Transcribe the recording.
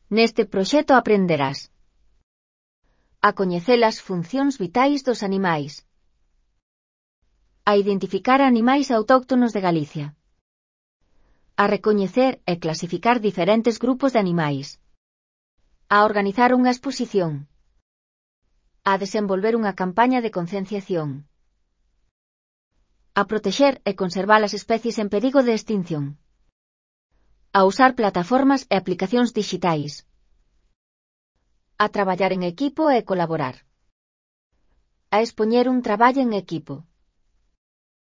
Neste proxecto aprenderás a coñecer as funcións vitais dos animais, a identificar animais autóctonos de Galicia, a recoñecer e clasificar diferentes grupos de animais, a organizar unha exposición, a desenvolver unha campaña de concienciación, a protexer e conservar as especies en perigo de extinción, a usar plataformas e aplicacións dixitais, a traballar en equipo e colaborar, a expoñer un traballo en equipo.